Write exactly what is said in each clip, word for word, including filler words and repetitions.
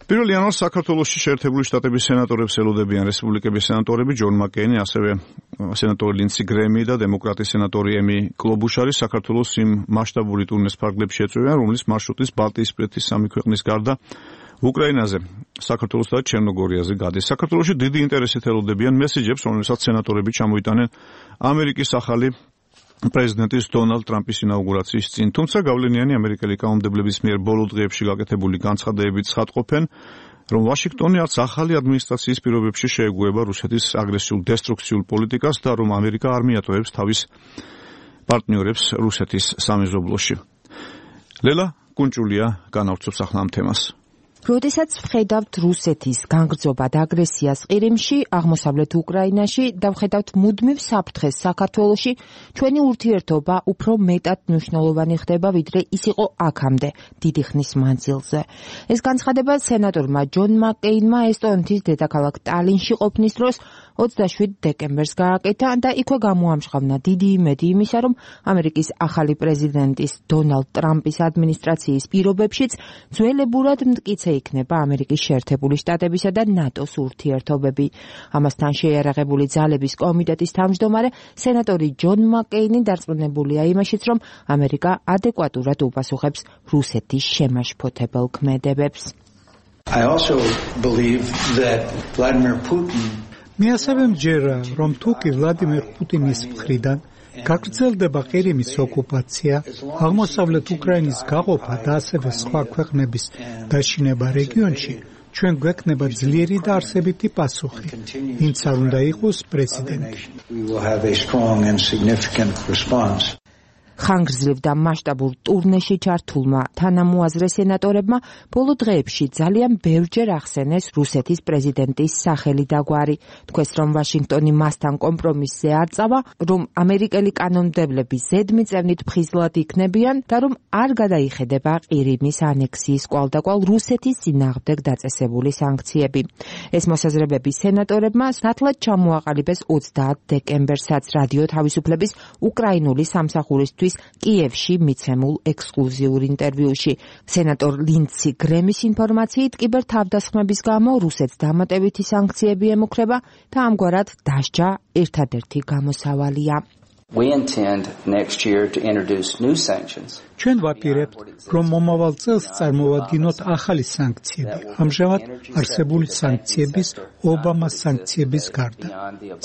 პირველ იანვარს საქართველოში შეერთებული შტატების სენატორებს ელოდებიან რესპუბლიკების სენატორები ჯონ მაკეინი, ასევე სენატორი ლინდსი გრემი და დემოკრატის სენატორი ემი კლობუშარი საქართველოს იმ მასშტაბური ტურნეს ფარგლებში ეწვევიან, რომლის მარშრუტის ბალტიისპირეთის სამი ქვეყნის გარდა უკრაინაზე, საქართველოსა და ჩერნოგორიაზე გადის. საქართველოში დიდი ინტერესით ელოდებიან მესიჯებს, რომელსაც სენატორები ჩამოიტანენ ამერიკის ახალი პრეზიდენტის დონალდ ტრამპის ინაუგურაციის წინ. თუმცა გავლენიანი ამერიკელი კანონმდებლების მიერ ბოლო დღეებში გაკეთებული განცხადებებით ცხადყოფენ, რომ ვაშინგტონი არც ახალი ადმინისტრაციის პირობებში შეეგუება რუსეთის აგრესიულ დესტრუქციულ პოლიტიკას და რომ ამერიკა არ მიატოვებს თავის პარტნიორებს რუსეთის სამეზობლოში. ლელა კუნჭულია განავრცობს ახლა ამ თემას. როდესაც ვხედავთ რუსეთის განგრძობად აგრესიას ყირიმში, აღმოსავლეთ უკრაინაში და ვხედავთ მუდმივ საფრთხეს საქართველოში, ჩვენი ურთიერთობა უფრო მეტად მნიშვნელოვანი ხდება, ვიდრე ის იყო აქამდე, დიდი ხნის მანძილზე. ეს განცხადება სენატორმა ჯონ მაკეინმა ესტონეთის დედაქალაქ ტალინში ყოფნის დროს ოცდაშვიდ დეკემბერს გააკეთა და იქვე გამოამჟღავნა დიდი იმედი იმისა, რომ ამერიკის ახალი პრეზიდენტის დონალდ ტრამპის ადმინისტრაციის პირობებშიც ძველებურად მტკიცე იქნება ამერიკის შეერთებული შტატებისა და ნატოს ურთიერთობები. ამასთან შეიარაღებული ძალების კომიტეტის თავმჯდომარე სენატორი ჯონ მაკეინი დარწმუნებულია იმაშიც, რომ ამერიკა ადეკვატურად უპასუხებს რუსეთის შემაშფოთებელ ქმედებებს. I also believe that Vladimir Putin მე ასევე მჯერა, რომ თუკი ვლადიმერ პუტინის მხრიდან გაგრძელდება ყირიმის ოკუპაცია, აღმოსავლეთ უკრაინის გაყოფა და ასევე სხვა ქვეყნების დაშინება რეგიონში, ჩვენ გვექნება ძლიერი და არსებითი პასუხი, ვინც არ უნდა იყოს პრეზიდენტი. ხანგრძლივ და მასშტაბურ ტურნეში ჩართულმა თანამოაზრე სენატორებმა ბოლო დღეებში ძალიან ბევრჯერ ახსენეს რუსეთის პრეზიდენტის სახელი და გვარი. თქვეს, რომ ვაშინგტონი მასთან კომპრომისზე არ წავა, რომ ამერიკელი კანონმდებლები ზედმიწევნით ფხიზლად იქნებიან და რომ არ გადაიხედება ყირიმის ანექსიის კვალდაკვალ რუსეთის წინააღმდეგ დაწესებული სანქციები. ეს მოსაზრებები სენატორებმა ნათლად ჩამოაყალიბეს ოცდაათ დეკემბერსაც რადიო თავისუფლების უკრაინული სამსახურისთვის კიევში მიცემულ ექსკლუზიურ ინტერვიუში. სენატორ ლინდსი გრემის ინფორმაციით კიბერთავდასხმების გამო რუსეთს დამატებითი სანქციები ემუქრება და ამგვარად დასჯა ერთადერთი გამოსავალია. We intend next year to introduce new sanctions. ჩვენ ვაპირებთ, რომ მომავალ წელს წარმოვადგინოთ ახალი სანქციები, ამჟამად არსებული სანქციების, ობამას სანქციების გარდა.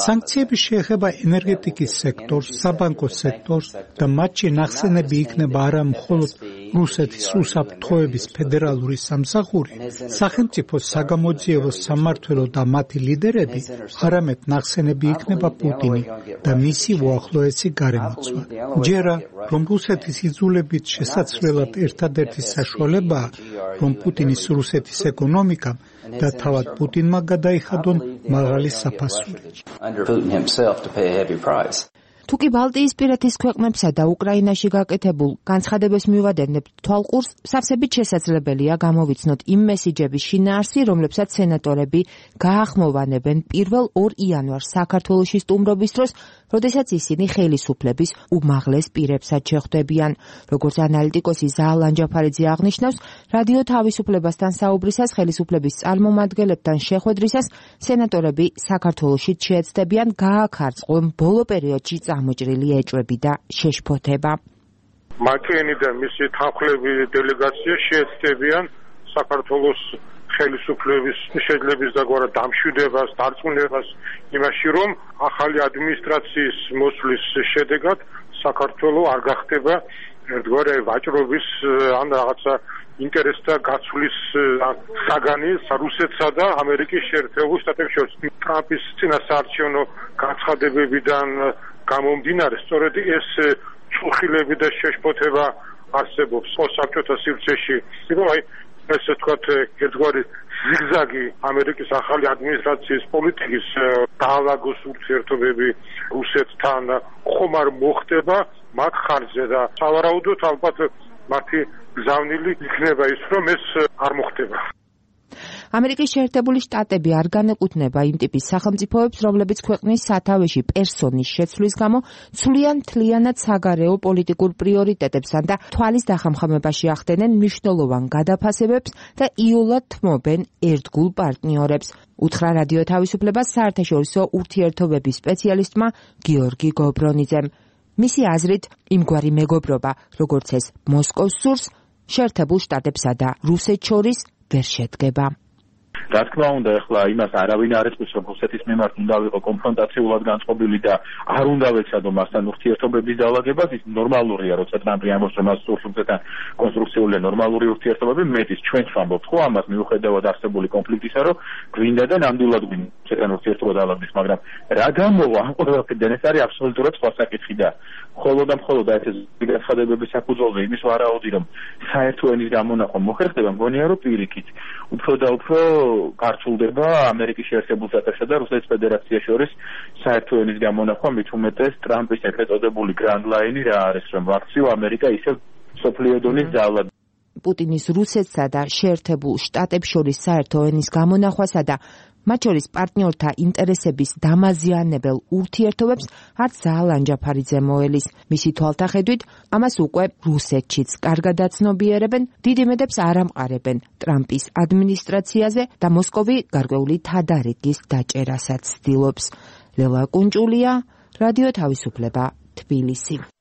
სანქციები შეეხება ენერგეტიკის სექტორს, საბანკო სექტორს და მათში ნახსენები იქნება არა მხოლოდ რუსეთის უსაფრთხოების ფედერალური სამსახური, სახელმწიფო საგამოძიებო სამმართველო და მათი ლიდერები, არამედ ნახსენები იქნება პუტინი და მისი უახლოესი გარემოცვა. ჯერა, რომ რუსეთის იძულებით შესაძლებლად ერთადერთი საშუალებაა, რომ პუტინის რუსეთის ეკონომიკამ და თავად პუტინმა გადაიხადონ მაღალი საფასური. თუკი ბალტიისპირეთის ქვეყნებსა და უკრაინაში გაკეთებულ განცხადებას მივადენებთ თვალყურს, სავსებით შესაძლებელია გამოვიცნოთ იმ მესიჯების შინაარსი, რომლებსაც სენატორები გაახმოვანებენ პირველ ორ იანვარს საქართველოში სტუმრობის დროს, როდესაც ისინი ხელისუფლების უმაღლეს პირებსაც შეხვდებიან. როგორც ანალიტიკოსი ზაალ ანჯაფარიძე აღნიშნავს, რადიო თავისუფლებასთან საუბრისას ხელისუფლების წარმომადგენლებთან შეხვედრისას სენატორები საქართველოში შეეცდებიან გააქარწყლონ ბოლო პერიოდში გამოჭრილი ეჭვები და შეშფოთება. მაკეინი და მისი თანხლები დელეგაცია შეეცდებიან საქართველოს ხელისუფლების შეძლების დაგვარად დამშვიდებას, დარწმუნებას იმაში, რომ ახალი ადმინისტრაციის მოსვლის შედეგად საქართველო არ გახდება ერთგვარი ვაჭრობის ან რაღაცა ინტერესთა გაცვლის საგანი რუსეთსა და ამერიკის შეერთებულ შტატებს შორის. ტრამპის წინასაარჩევნო განცხადებებიდან გამომდინარე, სწორედ ეს წუხილები და შეშფოთება არსებობს საბჭოთა სივრცეში. აი ესე ვთქვათ, ერთგვარი ზიგზაგი ამერიკის ახალი ადმინისტრაციის პოლიტიკის დაალაგოს ურთიერთობები რუსეთთან ხომ არ მოხდება მათ ხარჯზე და სავარაუდოდ ალბათ მათი გზავნილი იქნება ის, რომ ეს არ მოხდება. ამერიკის შეერთებული შტატები არ განეკუთვნება იმ ტიპის სახელმწიფოებს, რომლებიც ქვეყნის სათავეში პერსონის შეცვლის გამო ცვლიან მთლიანად საგარეო პოლიტიკურ პრიორიტეტებსა და თვალის დახამხამებაში ახდენენ მნიშვნელოვან გადაფასებებს და იოლად თმობენ ერთგულ პარტნიორებს. უთხრა რადიო თავისუფლებას საერთაშორისო ურთიერთობების სპეციალისტმა გიორგი გობრონიძემ. მისი აზრით, იმგვარი მეგობრობა, როგორც ეს მოსკოვს სურს, შეერთებულ შტატებსა და რუსეთს შორის ვერ შედგება. რა თქმა უნდა, ახლა იმას არავინ არ ეწევს, რომ რუსეთის მიმართ უნდა ვიყო კონფრონტაციულად განწყობილი და არ უნდა ვეცადო მასთან ურთიერთობების დაალაგებას, ის ნორმალურია, როცა ტრამპი ამბობს, რომ მას სურს რუსეთთან კონსტრუქციული ნორმალური ურთიერთობები, მეტის ჩვენც ვამბობთ, ხო, ამას მიუხედავად არსებული კონფლიქტისა, რომ გვინდა და ნამდვილად გვინდა რუსეთთან ურთიერთობა დაალაგდეს, მაგრამ რა გამოვა ამ ყველაფერიდან, ეს არის აბსოლუტურად სხვა საკითხი და მხოლოდ და მხოლოდ ეს განცხადებების საფუძველზე იმის ვარაუდი, რომ საერთო ენის გამონახვა მოხერხდება, მგონია, რომ პირიქით უფრო და უფრო გარჩულდება ამერიკის შეერთებულ შტატებსა და რუსეთის ფედერაციას შორის საერთო ენის გამონახვა, მით უმეტეს ტრამპის ეგრეთ წოდებული გრანდ ლაინი რა არის, რომ აქციო ამერიკა ისევ მსოფლიო დონის ძალად. პუტინის რუსეთსა და შეერთებულ შტატებს შორის საერთო ენის გამონახვასა და მათ შორის პარტნიორთა ინტერესების დამაზიანებელ ურთიერთობებს არც ზაალ ანჯაფარიძე მოელის. მისი თვალთახედვით, ამას უკვე რუსეთშიც კარგად აცნობიერებენ, დიდ იმედებს არ ამყარებენ ტრამპის ადმინისტრაციაზე და მოსკოვი გარკვეული თადარიგის დაჭერასაც ცდილობს. ლელა კუნჭულია, რადიო თავისუფლება, თბილისი.